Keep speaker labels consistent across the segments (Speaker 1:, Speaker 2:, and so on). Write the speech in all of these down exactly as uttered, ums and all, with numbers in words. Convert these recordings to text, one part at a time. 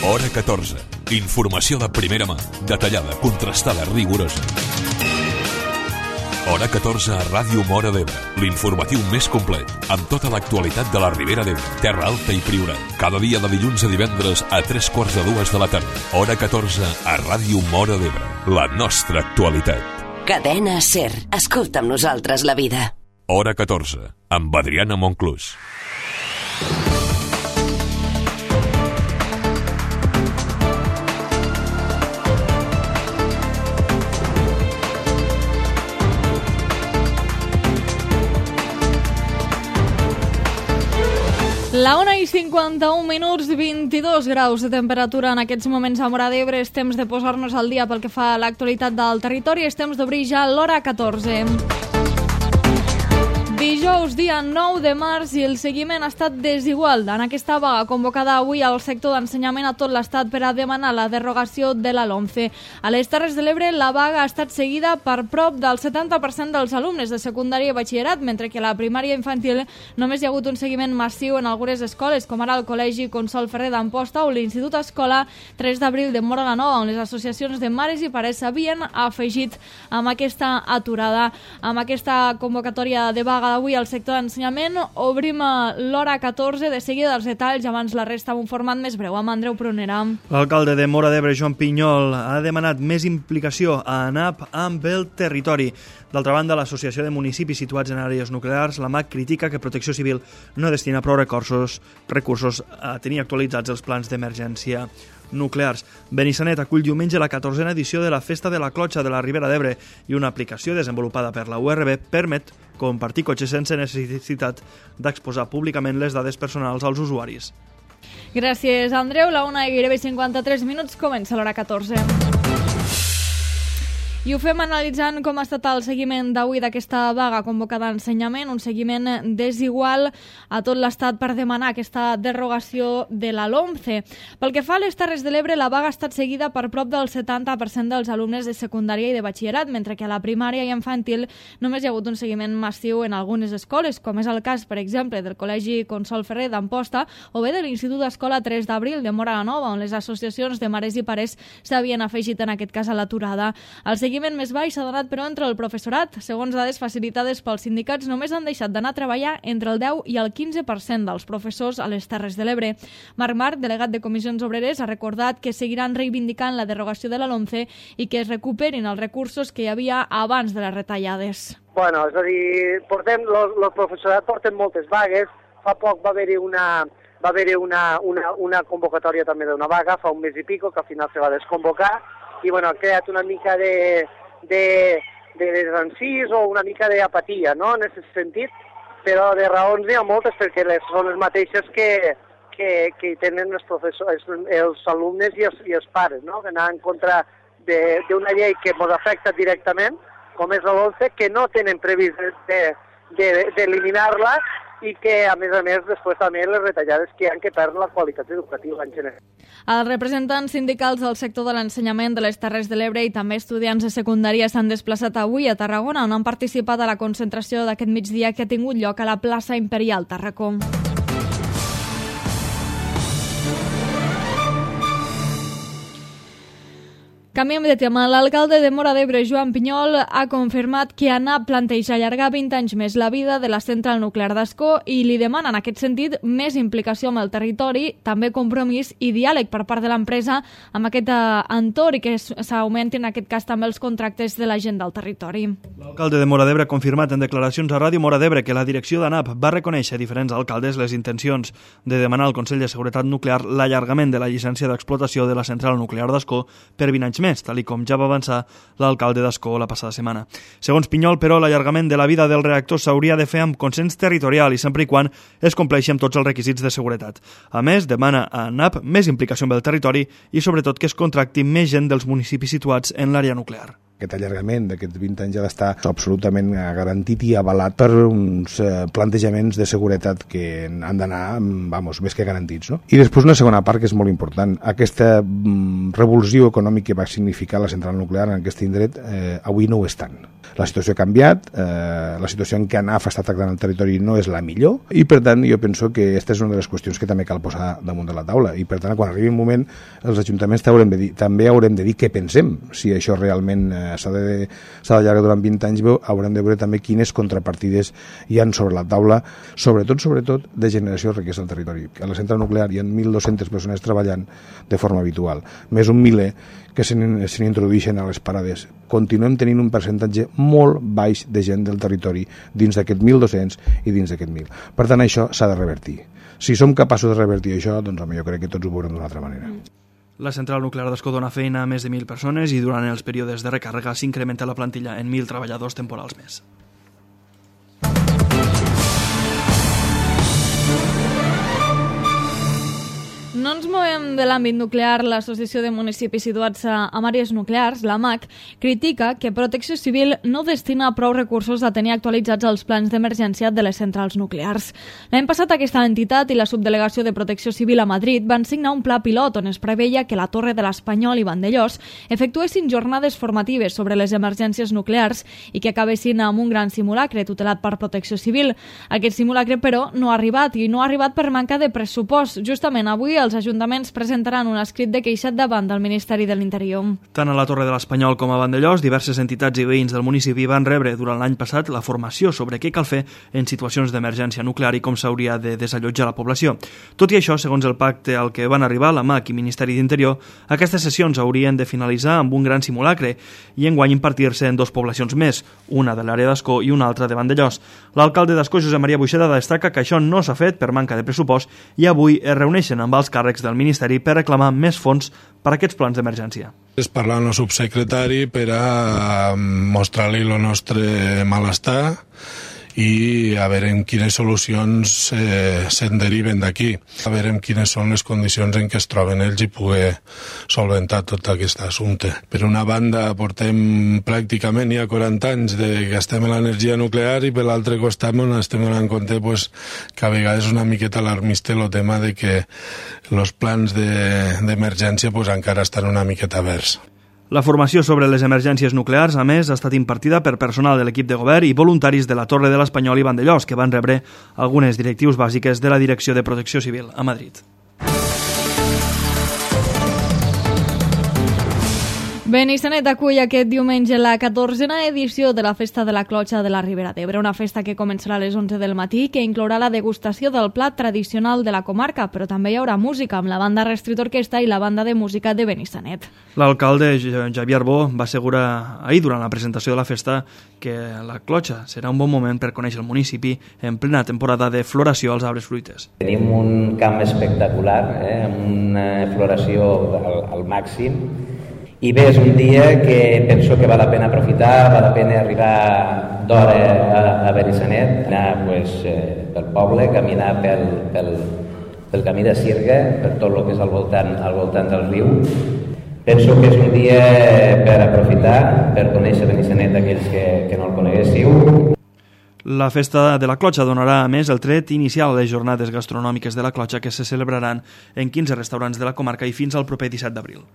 Speaker 1: Hora catorze. Informació de primera mà, detallada, contrastada, rigorosa. Hora catorze a Ràdio Móra d'Ebre, l'informatiu més complet, amb tota l'actualitat de la Ribera d'Ebre, Terra Alta i Priorat. Cada dia de dilluns a divendres a tres quarts de dues de la tarda. Hora catorze a Ràdio Móra d'Ebre, la nostra actualitat.
Speaker 2: Cadena SER. Escolta amb nosaltres la vida.
Speaker 1: Hora catorze, amb Adriana Monclús.
Speaker 3: La una i cinquanta-un minuts, vint-i-dos graus de temperatura en aquests moments a Móra d'Ebre. És temps de posar-nos al dia pel que fa a l'actualitat del territori. És temps d'obrir ja l'hora catorze. Dijous, dia nou de març, i el seguiment ha estat desigual en aquesta vaga convocada avui al sector d'ensenyament a tot l'estat per a demanar la derogació de la LOMCE. A les Terres de l'Ebre, la vaga ha estat seguida per prop del setanta per cent dels alumnes de secundària i batxillerat, mentre que a la primària infantil només hi ha hagut un seguiment massiu en algunes escoles, com ara el Col·legi Consol Ferrer d'Amposta o l'Institut Escola tres d'abril de Móra la Nova, on les associacions de mares i pares s'havien afegit amb aquesta aturada. Amb aquesta convocatòria de vaga d'avui al sector d'ensenyament obrim l'hora catorze, de seguida dels detalls, abans la resta amb un format més breu amb Andreu Prunera.
Speaker 4: L'alcalde de Móra d'Ebre, Joan Pinyol, ha demanat més implicació a ANAP amb el territori. D'altra banda, l'Associació de Municipis Situats en Àrees Nuclears, l'A M A C, critica que Protecció Civil no destina prou recursos, recursos a tenir actualitzats els plans d'emergència nuclears. Benissanet acull diumenge la catorzena edició de la Festa de la Clotxa de la Ribera d'Ebre i una aplicació desenvolupada per la U R B permet compartir cotxes sense necessitat d'exposar públicament les dades personals als usuaris.
Speaker 3: Gràcies, Andreu. La una i gairebé cinquanta-tres minuts, comença l'hora catorze. I ho fem analitzant com ha estat el seguiment d'avui d'aquesta vaga convocada d'ensenyament, un seguiment desigual a tot l'estat per demanar aquesta derogació de la LOMCE. Pel que fa a les Terres de l'Ebre, la vaga ha estat seguida per prop del setanta per cent dels alumnes de secundària i de batxillerat, mentre que a la primària i infantil només hi ha hagut un seguiment massiu en algunes escoles, com és el cas, per exemple, del Col·legi Consol Ferrer d'Amposta o bé de l'Institut Escola tres d'abril de Móra la Nova, on les associacions de mares i pares s'havien afegit en aquest cas a l'aturada. El El seguiment més baix s'ha donat, però, entre el professorat. Segons dades facilitades pels sindicats, només han deixat d'anar a treballar entre el deu i el quinze per cent dels professors a les Terres de l'Ebre. Marc Marc, delegat de Comissions Obreres, ha recordat que seguiran reivindicant la derogació de la LOMCE i que es recuperin els recursos que hi havia abans de les retallades.
Speaker 5: Bueno, és a dir, portem, el professorat porten moltes vagues. Fa poc va haver-hi una, va haver-hi una, una, una convocatòria també d'una vaga, fa un mes i pico, que al final se va desconvocar, i bueno, ha creat una mica de, de, de desencís o una mica d'apatia, no?, en aquest sentit, però de raons n'hi ha moltes, perquè les, són les mateixes que, que, que tenen els professors, els alumnes i els, i els pares, no?, que anar en contra d'una llei que ens afecta directament, com és la LOMCE, que no tenen previst d'eliminar-la, i que, a més a més, després també les retallades que hi ha que perden la qualitat educativa en general.
Speaker 3: Els representants sindicals del sector de l'ensenyament de les Terres de l'Ebre i també estudiants de secundària s'han desplaçat avui a Tarragona, on han participat a la concentració d'aquest migdia que ha tingut lloc a la plaça Imperial Tarracó. Canviem de tema. L'alcalde de Móra d'Ebre, Joan Pinyol, ha confirmat que ANAP planteja allargar vint anys més la vida de la central nuclear d'Ascó i li demana, en aquest sentit, més implicació amb el territori, també compromís i diàleg per part de l'empresa amb aquest entorn i que s'augmentin, en aquest cas, també els contractes de la gent del territori.
Speaker 4: L'alcalde de Móra d'Ebre ha confirmat en declaracions a Ràdio Móra d'Ebre que la direcció d'ANAP va reconèixer a diferents alcaldes les intencions de demanar al Consell de Seguretat Nuclear l'allargament de la llicència d'explotació de la central nuclear d'Ascó per vint anys més, tal com ja va avançar l'alcalde d'Ascó la passada setmana. Segons Pinyol, però, l'allargament de la vida del reactor s'hauria de fer amb consens territorial i sempre i quan es compleixi amb tots els requisits de seguretat. A més, demana a ANAP més implicació amb el territori i, sobretot, que es contracti més gent dels municipis situats en l'àrea nuclear.
Speaker 6: Aquest allargament d'aquests vint anys ha d'estar absolutament garantit i avalat per uns eh, plantejaments de seguretat que han d'anar, vamos, més que garantits, no? I després una segona part que és molt important. Aquesta mm, revolució econòmica que va significar la central nuclear en aquest indret, eh, avui no ho és tant. La situació ha canviat, eh, la situació en què A N A F està tractant el territori no és la millor i, per tant, jo penso que aquesta és una de les qüestions que també cal posar damunt de la taula i, per tant, quan arribi un moment, els ajuntaments haurem de dir, també haurem de dir què pensem, si això realment eh, s'ha de, s'ha d'allargar durant vint anys, haurem de veure també quines contrapartides hi han sobre la taula, sobretot, sobretot, de generació de riquesa al territori. A la central nuclear hi ha mil dos-centes persones treballant de forma habitual, més un miler que se n'introdueixen a les parades. Continuem tenint un percentatge molt baix de gent del territori dins d'aquest mil dos-cents i dins d'aquest mil. Per tant, això s'ha de revertir. Si som capaços de revertir això, doncs home, jo crec que tots ho veurem d'una altra manera.
Speaker 4: La central nuclear d'Ascó dona feina a més de mil persones i durant els períodes de recàrrega s'incrementa la plantilla en mil treballadors temporals més.
Speaker 3: No ens movem de l'àmbit nuclear. L'Associació de Municipis Situats a Àrees Nuclears, la M A C, critica que Protecció Civil no destina prou recursos a tenir actualitzats els plans d'emergència de les centrals nuclears. L'any passat aquesta entitat i la subdelegació de Protecció Civil a Madrid van signar un pla pilot on es preveia que la Torre de l'Espanyol i Vandellòs efectuessin jornades formatives sobre les emergències nuclears i que acabessin amb un gran simulacre tutelat per Protecció Civil. Aquest simulacre, però, no ha arribat i no ha arribat per manca de pressupost. Justament avui els ajuntaments presentaran un escrit de queixat davant del Ministeri de l'Interior.
Speaker 4: Tant a la Torre de l'Espanyol com a Vandellòs, diverses entitats i veïns del municipi van rebre durant l'any passat la formació sobre què cal fer en situacions d'emergència nuclear i com s'hauria de desallotjar la població. Tot i això, segons el pacte al que van arribar la M A C i Ministeri d'Interior, aquestes sessions haurien de finalitzar amb un gran simulacre i enguany impartir-se en dues poblacions més, una de l'àrea d'Ascó i una altra de Vandellòs. L'alcalde d'Ascó, Josep Maria Buixeda, destaca que això no s'ha fet per manca de pressupost i avui es reuneixen amb els càrrecs del Ministeri per reclamar més fons per a aquests plans d'emergència.
Speaker 7: És parlar amb el subsecretari per a mostrar-li el nostre malestar i a veure en quines solucions eh, se'n deriven d'aquí, a veure en quines són les condicions en què es troben ells i poder solventar tot aquest assumpte. Per una banda, portem pràcticament ja quaranta anys de que estem en l'energia nuclear i per l'altre costat on estem donant compte pues, que a vegades és una miqueta alarmista el tema de que els plans d'emergència de, pues, encara estan una miqueta verds.
Speaker 4: La formació sobre les emergències nuclears, a més, ha estat impartida per personal de l'equip de govern i voluntaris de la Torre de l'Espanyol i Vandellòs, que van rebre algunes directius bàsiques de la Direcció de Protecció Civil a Madrid.
Speaker 3: Benissanet acull aquest diumenge la catorzena edició de la Festa de la Clotxa de la Ribera d'Ebre, una festa que començarà a les onze del matí que inclourà la degustació del plat tradicional de la comarca, però també hi haurà música amb la banda Restrit Orquestra i la banda de música de Benissanet.
Speaker 4: L'alcalde Javier Arbó va assegurar ahir durant la presentació de la festa que la Clotxa serà un bon moment per conèixer el municipi en plena temporada de floració als arbres fruiters.
Speaker 8: Tenim un camp espectacular, eh, amb una floració al, al màxim. I bé, és un dia que penso que val la pena aprofitar, val la pena arribar d'hora a, a Benissanet, anar pues, eh, pel poble, caminar pel, pel, pel camí de Sirga, per tot el que és al voltant, al voltant del riu. Penso que és un dia per aprofitar, per conèixer Benissanet aquells que, que no el coneguéssiu.
Speaker 4: La festa de la Clotxa donarà, a més, el tret inicial a les jornades gastronòmiques de la Clotxa que se celebraran en quinze restaurants de la comarca i fins al proper disset d'abril.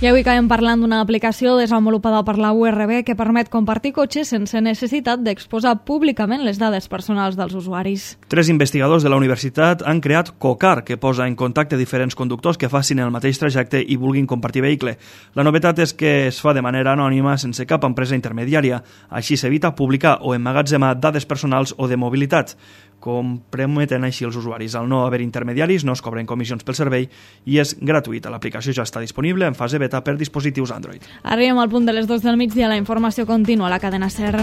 Speaker 3: I avui acabem parlant d'una aplicació desenvolupada per la U R B que permet compartir cotxes sense necessitat d'exposar públicament les dades personals dels usuaris.
Speaker 4: Tres investigadors de la universitat han creat Cocar, que posa en contacte diferents conductors que facin el mateix trajecte i vulguin compartir vehicle. La novetat és que es fa de manera anònima sense cap empresa intermediària. Així s'evita publicar o emmagatzemar dades personals o de mobilitat. Com prometen així els usuaris. Al no haver intermediaris no es cobren comissions pel servei i és gratuïta. L'aplicació ja està disponible en fase beta per dispositius Android.
Speaker 3: Arribem al punt de les dues del migdia. La informació continua a la cadena SER.